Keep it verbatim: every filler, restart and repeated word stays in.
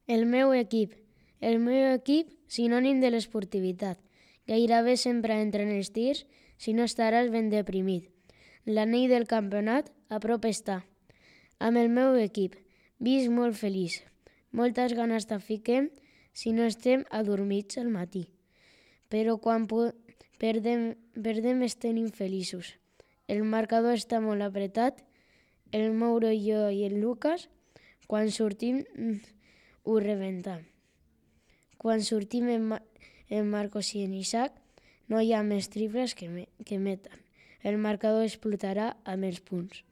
El meu equip. El meu equip, sinònim de l'esportivitat. Gairebé sempre entra en els tirs, si no estaràs ben deprimit. L'anell del campionat a prop està. Amb el meu equip, visc molt feliç. Moltes ganes de fiquem si no estem adormits al matí. Però quan perdem, perdem estem infeliços. El marcador està molt apretat. El Mauro i jo i el Lucas, quan sortim, ho rebentem. Quan sortim en, Ma- en Marcos i en Isaac, no hi ha més triples que, me, que meten. El marcador explotarà amb els punts.